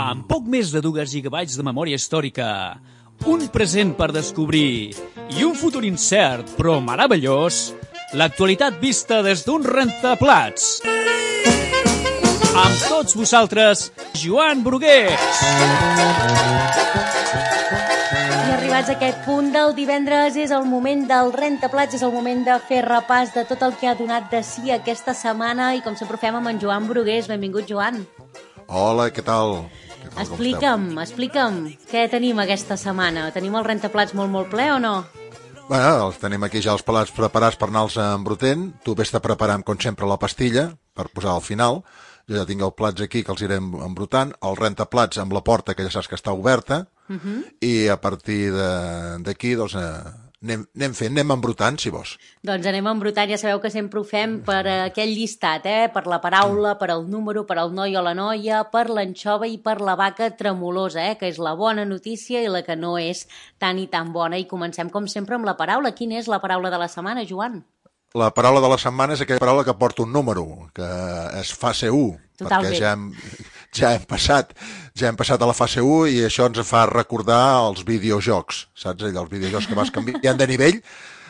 Amb poc més de 2 gigabytes de memòria històrica, un present per descobrir i un futur incert però meravellós, l'actualitat vista des d'un rentaplats. Amb tots vosaltres, Joan Brugués. I arribats a aquest punt del divendres és el moment del rentaplats, és el moment de fer repàs de tot el que ha donat de si aquesta setmana i com sempre ho fem amb en Joan Brugués. Benvingut, Joan. Hola, què tal? Explica'm, què tenim aquesta setmana? Tenim el rentaplats molt ple o no? Bueno, els tenim aquí ja els pelats preparats per anar-los embrutent. Tu vés-te preparant, com sempre, la pastilla per posar al final. Jo ja tinc els plats aquí que els iré embrutant. El rentaplats amb la porta, que ja saps que està oberta. I a partir d'aquí, doncs, anem embrutant, si vols. Doncs anem embrutant, ja sabeu que sempre ho fem per aquell llistat, per la paraula, per el número, per el noi o la noia, per l'anxova i per la vaca tremolosa, que és la bona notícia i la que no és tan i tan bona. I comencem, com sempre, amb la paraula. Quina és la paraula de la setmana, Joan? La paraula de la setmana és aquella paraula que porta un número, que és fase 1, Totalment. perquè ja hem passat a la fase 1 i això ens fa recordar els videojocs, saps? Els videojocs que vas canviant de nivell,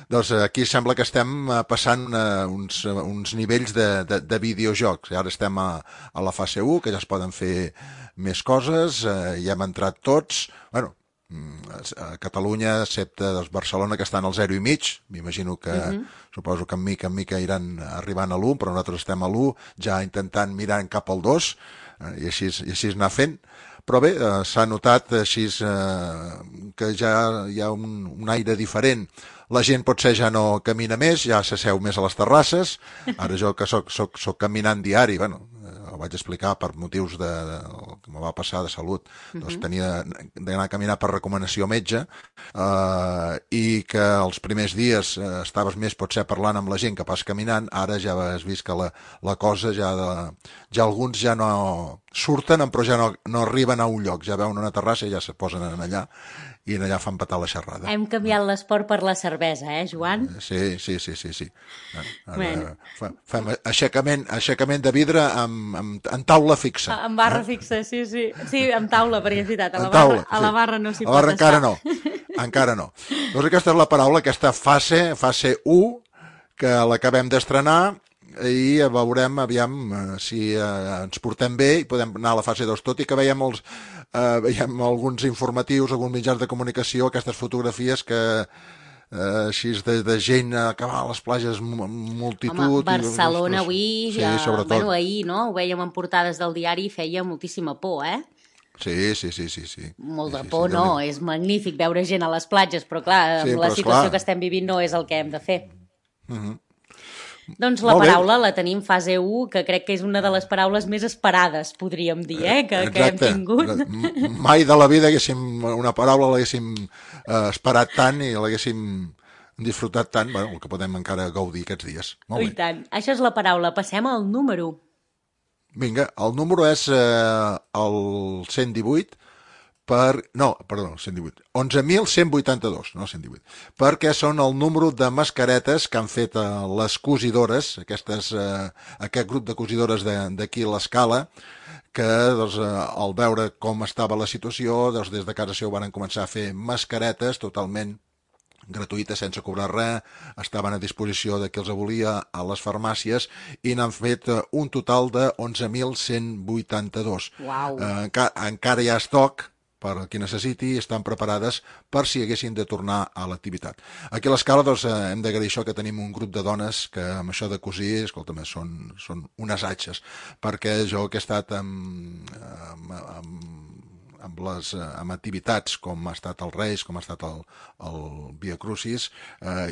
doncs aquí sembla que estem passant uns nivells de videojocs. I ara estem a la fase 1, que ja es poden fer més coses, ja hem entrat tots, bueno, a Catalunya, excepte Barcelona, que estan al 0,5, m'imagino que suposo que en mica iran arribant a l'1, però nosaltres estem a l'1, ja intentant mirar cap al 2, i així anar fent. Però bé, s'ha notat així que ja hi ha un aire diferent. La gent potser ja no camina més, ja s'asseu més a les terrasses. Ara jo que soc caminant diari, bueno, ho vaig explicar per motius que me va passar de salut, doncs tenia d'anar a caminar per recomanació metge, i que els primers dies estaves més potser parlant amb la gent que pas caminant. Ara ja has vist que la cosa ja alguns ja no surten, però ja no arriben a un lloc, ja veuen una terrassa i ja se posen allà i allà fan petar la xerrada. Hem canviat l'esport per la cervesa, Joan? Sí. Ara fem aixecament de vidre en taula fixa. En barra fixa, sí. Sí, amb taula, perquè és veritat, a la barra no s'hi pot estar. Encara no. Doncs aquesta és la paraula, aquesta fase 1, que l'acabem d'estrenar, i veurem aviam si ens portem bé i podem anar a la fase 2, tot i que veiem alguns informatius, alguns mitjans de comunicació, aquestes fotografies que així de gent que va a les platges, multitud. Home, Barcelona avui, sí, sobretot. Bueno, ahir, no? Ho vèiem en portades del diari i feia moltíssima por, Sí. Molt de por, no, és magnífic veure gent a les platges, però clar, amb la situació que estem vivint no és el que hem de fer. Doncs la paraula la tenim fase 1, que crec que és una de les paraules més esperades, podríem dir, que hem tingut. Mai de la vida una paraula l'haguéssim esperat tant i l'haguéssim disfrutat tant, bueno, el que podem encara gaudir aquests dies. Molt bé. I tant. Això és la paraula. Passem al número. Vinga, el número és el 118, 118, 11.182, no 118, perquè són el número de mascaretes que han fet les cosidores, aquest grup de cosidores d'aquí a l'Escala, que doncs, al veure com estava la situació, doncs, des de casa seu van començar a fer mascaretes totalment gratuïtes, sense cobrar res, estaven a disposició de qui els volia a les farmàcies i n'han fet un total de 11.182. Uau. Encara hi ha estoc per a qui necessiti, estan preparades per si haguessin de tornar a l'activitat. Aquí a l'Escala doncs, hem d'agrair això, que tenim un grup de dones que amb això de cosir, escolta'm, són unes atxes, perquè jo que he estat amb activitats com ha estat el Reis, com ha estat el Via Crucis,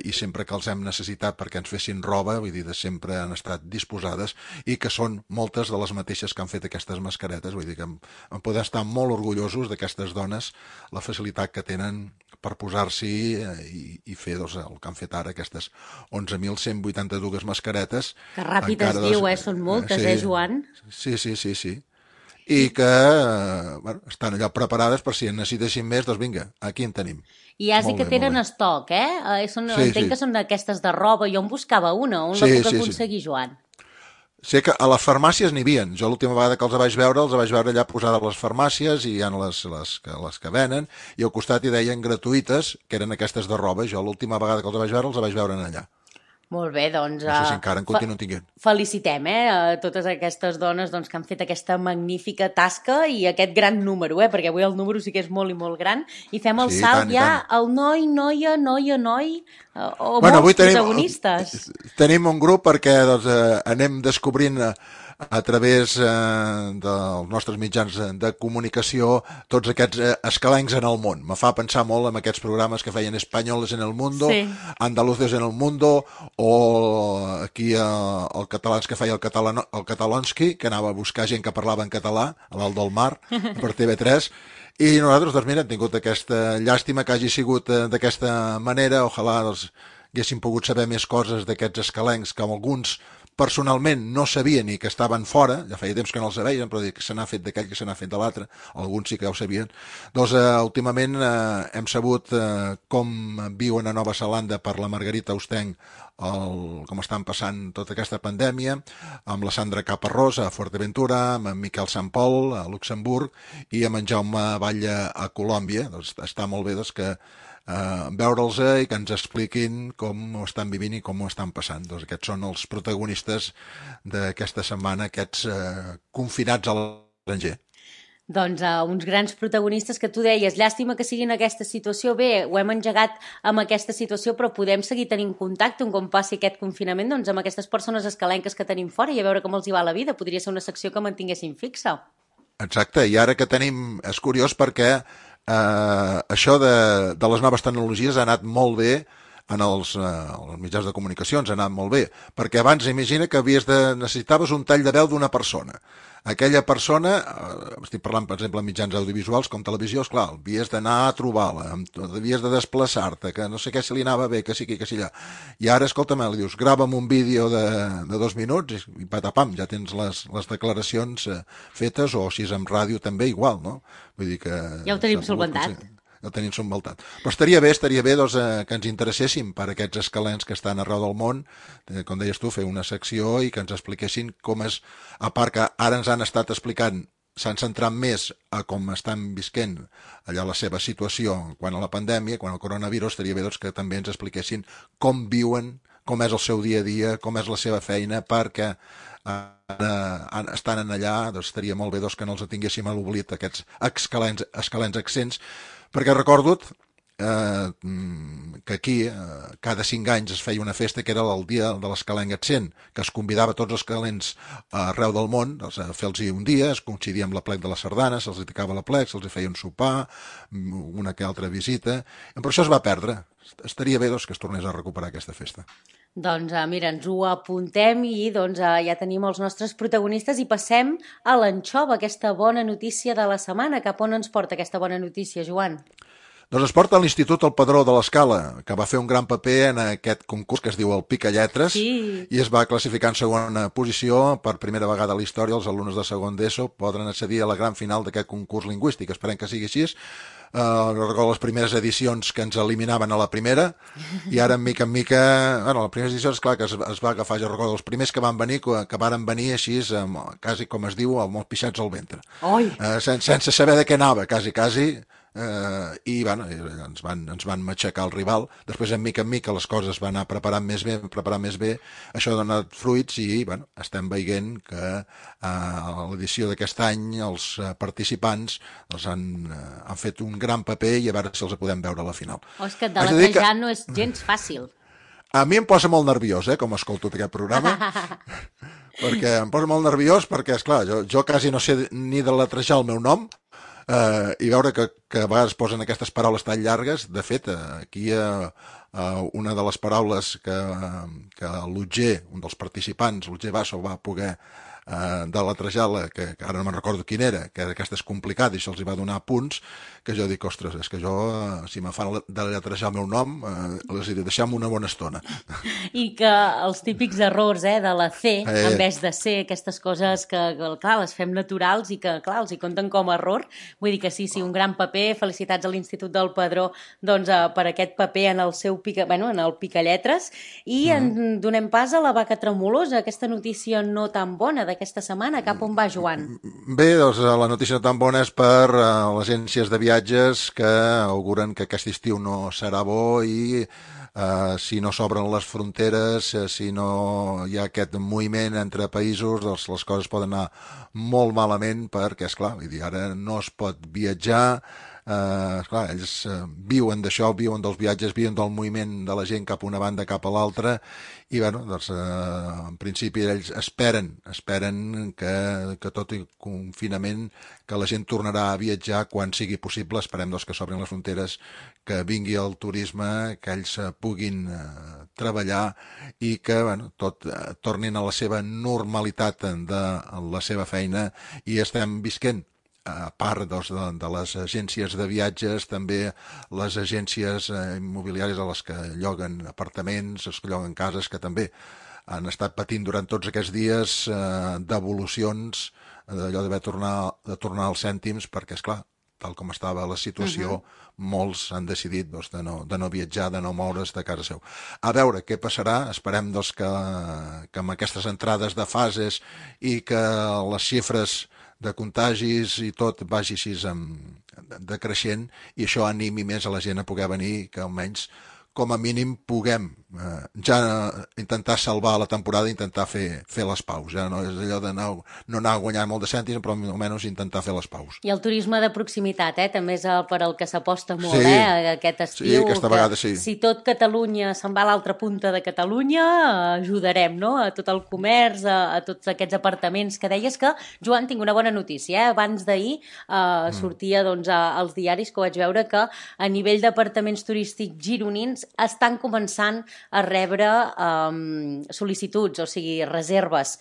i sempre que els hem necessitat perquè ens fessin roba, vull dir, sempre han estat disposades, i que són moltes de les mateixes que han fet aquestes mascaretes, vull dir que en podem estar molt orgullosos d'aquestes dones, la facilitat que tenen per posar-s'hi i fer doncs, el que han fet ara, aquestes 11.182 mascaretes. Que ràpid es diu, són moltes, Joan? Sí. I que estan allà preparades per si en necessitessin més, doncs vinga, aquí en tenim. I has dit que tenen estoc, Entenc que són d'aquestes de roba. Jo en buscava una. On la puc aconseguir, Joan? Sé que a les farmàcies n'hi havia. Jo l'última vegada que els vaig veure allà posades a les farmàcies i hi ha les que venen, i al costat hi deien gratuïtes, que eren aquestes de roba. Jo l'última vegada que els vaig veure allà. Molt bé, doncs... No sé si encara en continuen tinguent. Felicitem a totes aquestes dones doncs, que han fet aquesta magnífica tasca i aquest gran número, perquè avui el número sí que és molt i molt gran, i fem el salt ja al noi, noia, noi, o molts protagonistes. Tenim un grup perquè doncs, anem descobrint a través dels nostres mitjans de comunicació tots aquests escalencs en el món. Me fa pensar molt en aquests programes que feien Espanyoles en el Mundo, sí. Andaluces en el Mundo, o aquí el catalans que feia el Catalonski, que anava a buscar gent que parlava en català a l'Alt del Mar per TV3, i nosaltres, doncs mira, hem tingut aquesta llàstima que hagi sigut d'aquesta manera. Ojalà doncs, haguéssim pogut saber més coses d'aquests escalencs que alguns personalment no sabien ni que estaven fora, ja feia temps que no els veien, però que se n'ha fet d'aquell, que se n'ha fet de l'altre, alguns sí que ja ho sabien. Doncs últimament hem sabut com viuen a Nova Zelanda per la Margarita Austenc, com estan passant tota aquesta pandèmia, amb la Sandra Caparrós a Fuerteventura, amb en Miquel Sant Pol a Luxemburg i amb en Jaume Batlle a Colòmbia. Doncs està molt bé doncs, que veure'ls i que ens expliquin com ho estan vivint i com ho estan passant. Doncs aquests són els protagonistes d'aquesta setmana, aquests confinats a l'estranger. Doncs uns grans protagonistes que tu deies, llàstima que siguin en aquesta situació. Bé, ho hem engegat amb aquesta situació, però podem seguir tenint contacte un com passi aquest confinament doncs, amb aquestes persones escalenques que tenim fora i a veure com els hi va la vida. Podria ser una secció que mantinguéssim fixa. Exacte, i ara que tenim... És curiós perquè això de les noves tecnologies ha anat molt bé en els mitjans de comunicació, ens ha anat molt bé, perquè abans imagina que necessitaves un tall de veu d'una persona. Aquella persona, estic parlant per exemple en mitjans audiovisuals com televisió, esclar, havies d'anar a trobar-la, havies de desplaçar-te, que no sé què se li anava bé, que sí, que sí allà. I ara, escolta'm, li dius, grava'm un vídeo de 2 minuts i patapam, ja tens les declaracions fetes, o si és en ràdio també igual, no? Vull dir que... Ja ho tenim solventat. El tenim subvaltat. Però estaria bé doncs, que ens interesséssim per aquests escalents que estan arreu del món, com deies tu, fer una secció i que ens expliquessin com és, a part que ara ens han estat explicant, s'han centrat més a com estan visquent allà la seva situació quan a la pandèmia, quan al coronavirus, estaria bé doncs, que també ens expliquessin com viuen, com és el seu dia a dia, com és la seva feina, perquè estan allà, doncs estaria molt bé doncs, que no els tinguéssim a l'oblit aquests escalents accents, perquè recordo que aquí cada 5 anys es feia una festa que era el dia de l'escalenc accent, que es convidava tots els escalents arreu del món a fer-los un dia, es coincidia amb la plec de la sardana, se'ls dedicava la plec, se'ls feia un sopar, una que altra visita, però això es va perdre. Estaria bé doncs, que es tornés a recuperar aquesta festa. Doncs mira, ens ho apuntem i doncs, ja tenim els nostres protagonistes i passem a l'anxova, aquesta bona notícia de la setmana. Cap on ens porta aquesta bona notícia, Joan? Doncs es porta a l'Institut El Padró de l'Escala, que va fer un gran paper en aquest concurs que es diu el Picalletres, sí. I es va classificar en segona posició. Per primera vegada a la història, els alumnes de segon d'ESO podran accedir a la gran final d'aquest concurs lingüístic. Esperem que sigui així. Recordo les primeres edicions que ens eliminaven a la primera, i ara, mica en mica... Bueno, les primeres edicions, clar, que es va agafar, jo recordo, els primers que van venir, que varen venir així, quasi, com es diu, amb els pixats al ventre. Sense saber de què anava, quasi, i bueno, ens van matxacar el rival. Després en mica les coses van anar preparant més bé, això ha donat fruits i bueno, estem veient que a l'edició d'aquest any els participants han fet un gran paper i a veure si els podem veure a la final. És que deletrejar no és gens fàcil. A mi em posa molt nerviós, com escolto aquest programa, perquè em posa molt nerviós perquè, esclar, jo quasi no sé ni deletrejar el meu nom, i veure que a vegades posen aquestes paraules tan llargues. De fet, aquí una de les paraules que l'Otger, un dels participants, l'Otger Basso, va poder de la Trajala, que ara no me'n recordo quin era, que aquesta és complicada i això els hi va donar punts, que jo dic, ostres, és que jo, si me fan deletrejar el meu nom, els diré, deixem una bona estona. I que els típics errors de la C, en vez de C, aquestes coses que, clar, les fem naturals i que, clar, els hi compten com a error. Vull dir que sí, un gran paper. Felicitats a l'Institut del Padró doncs, per aquest paper en el seu en el Picalletres. I en donem pas a la vaca tremolosa, aquesta notícia no tan bona d'aquesta setmana. Cap on va, Joan? Bé, doncs la notícia no tan bona és per les agències de viatges que auguren que aquest estiu no serà bo i si no s'obren les fronteres, si no hi ha aquest moviment entre països, doncs les coses poden anar molt malament perquè, esclar, vull dir, ara no es pot viatjar, esclar, ells viuen d'això, viuen dels viatges, viuen del moviment de la gent cap a una banda, cap a l'altra, i bueno, doncs, en principi ells esperen que tot el confinament, que la gent tornarà a viatjar quan sigui possible, esperem doncs, que s'obrin les fronteres, que vingui el turisme, que ells puguin treballar i que bueno, tot tornin a la seva normalitat de la seva feina i estem visquent. A part doncs, de les agències de viatges, també les agències immobiliàries a les que lloguen apartaments, els que lloguen cases, que també han estat patint durant tots aquests dies devolucions, d'allò d'haver de tornar als cèntims, perquè, esclar, tal com estava la situació, molts han decidit doncs, de no viatjar, de no moure's de casa seu. A veure què passarà, esperem doncs, que amb aquestes entrades de fases i que les xifres de contagis i tot vagi així decreixent i això animi més a la gent a poder venir, que almenys com a mínim puguem ja intentar salvar la temporada i intentar fer les paus. Ja no és allò de no anar a guanyar molt de cèntims, però almenys intentar fer les paus. I el turisme de proximitat, també és per al que s'aposta molt, sí, aquest estiu. Sí, aquesta vegada sí. Si tot Catalunya se'n va a l'altra punta de Catalunya, ajudarem, no?, a tot el comerç, a tots aquests apartaments que deies que, Joan, tinc una bona notícia, Abans d'ahir sortia doncs, als diaris que vaig veure que a nivell d'apartaments turístics gironins estan començant a rebre sol·licituds, o sigui, reserves,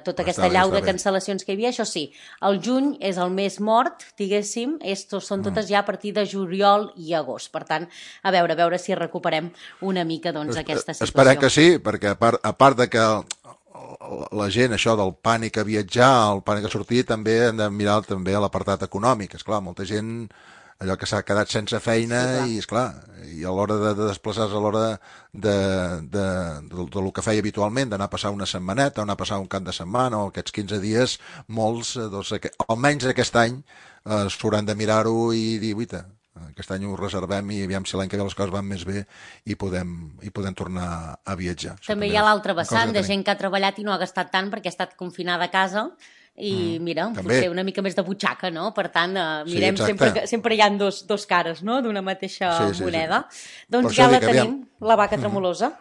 tota aquesta allau de cancel·lacions que hi havia. Això sí, el juny és el mes mort, diguéssim, són totes ja a partir de juliol i agost. Per tant, a veure si recuperem una mica doncs, aquesta situació. Esperem que sí, perquè a part de que la gent, això del pànic a viatjar, el pànic a sortir, també hem de mirar també l'apartat econòmic. Esclar, molta gent allò que s'ha quedat sense feina i, esclar, i a l'hora de desplaçar-se, a l'hora del que feia habitualment, d'anar a passar una setmaneta, anar a passar un cap de setmana o aquests 15 dies, molts, doncs, almenys aquest any, s'hauran de mirar-ho i dir, uita, aquest any ho reservem i aviam si l'any que ve les coses van més bé i podem tornar a viatjar. També hi ha l'altre vessant de gent que ha treballat i no ha gastat tant perquè ha estat confinada a casa i mira, potser una mica més de butxaca, no? Per tant, mirem, sempre hi ha dos cares, no?, d'una mateixa moneda. Doncs ja la tenim, la vaca tremolosa.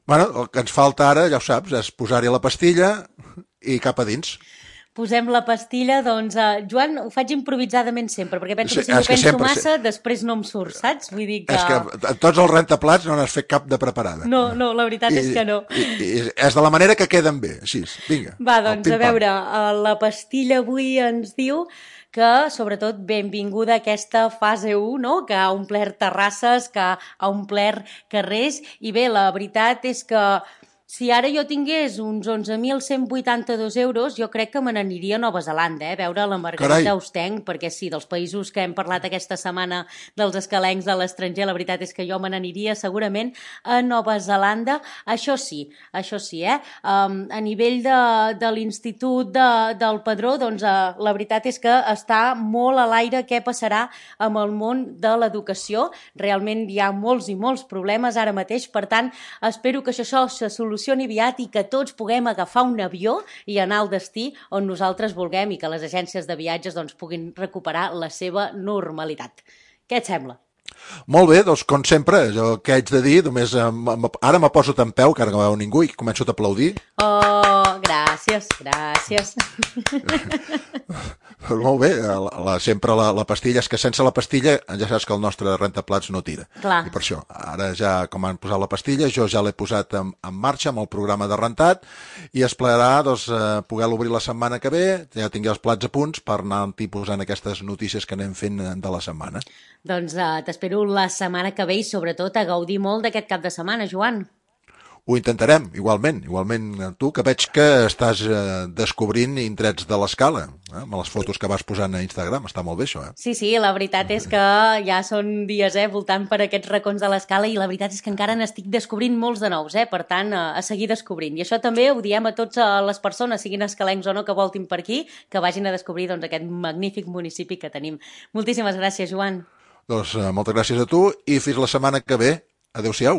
Bueno, el que ens falta ara, ja ho saps, és posar-hi la pastilla i cap a dins. Posem la pastilla, doncs, Joan, ho faig improvisadament sempre, perquè penso que si m'ho penso massa, després no em surt, saps? Vull dir que... És que tots els rentaplats no n'has fet cap de preparada. No, la veritat és que no. És de la manera que queden bé, així, vinga. Va, doncs, a veure, la pastilla avui ens diu que, sobretot, benvinguda a aquesta fase 1, no?, que ha omplert terrasses, que ha omplert carrers, i bé, la veritat és que si ara jo tingués uns 11.182 euros, jo crec que me n'aniria a Nova Zelanda, veure la Margarita Austenc, perquè sí, dels països que hem parlat aquesta setmana dels escalencs de l'estranger, la veritat és que jo me n'aniria segurament a Nova Zelanda. Això sí, a nivell de l'Institut del Padró, doncs la veritat és que està molt a l'aire què passarà amb el món de l'educació. Realment hi ha molts i molts problemes ara mateix, per tant, espero que això se solucioni aviat i que tots puguem agafar un avió i anar al destí on nosaltres vulguem i que les agències de viatges doncs, puguin recuperar la seva normalitat. Què et sembla? Molt bé, doncs com sempre, jo què haig de dir, només ara me poso tan peu que ara no veu ningú i començo a aplaudir. Oh, gràcies. Molt bé, sempre la pastilla, és que sense la pastilla ja saps que el nostre rentaplats no tira. Clar. I per això, ara ja com han posat la pastilla, jo ja l'he posat en marxa amb el programa de rentat i es plegarà poder-lo obrir la setmana que ve, ja tingui els plats a punts per anar posant aquestes notícies que anem fent de la setmana. Doncs t'espero la setmana que ve i sobretot a gaudir molt d'aquest cap de setmana, Joan. Ho intentarem, igualment tu, que veig que estàs descobrint indrets de l'escala, amb les fotos que vas posant a Instagram, està molt bé això, Sí, la veritat és que ja són dies, voltant per aquests racons de l'escala i la veritat és que encara n'estic descobrint molts de nous, per tant, a seguir descobrint. I això també ho diem a totes les persones, siguin escalencs o no, que voltin per aquí, que vagin a descobrir aquest magnífic municipi que tenim. Moltíssimes gràcies, Joan. Doncs moltes gràcies a tu i fins la setmana que ve. Adéu-siau.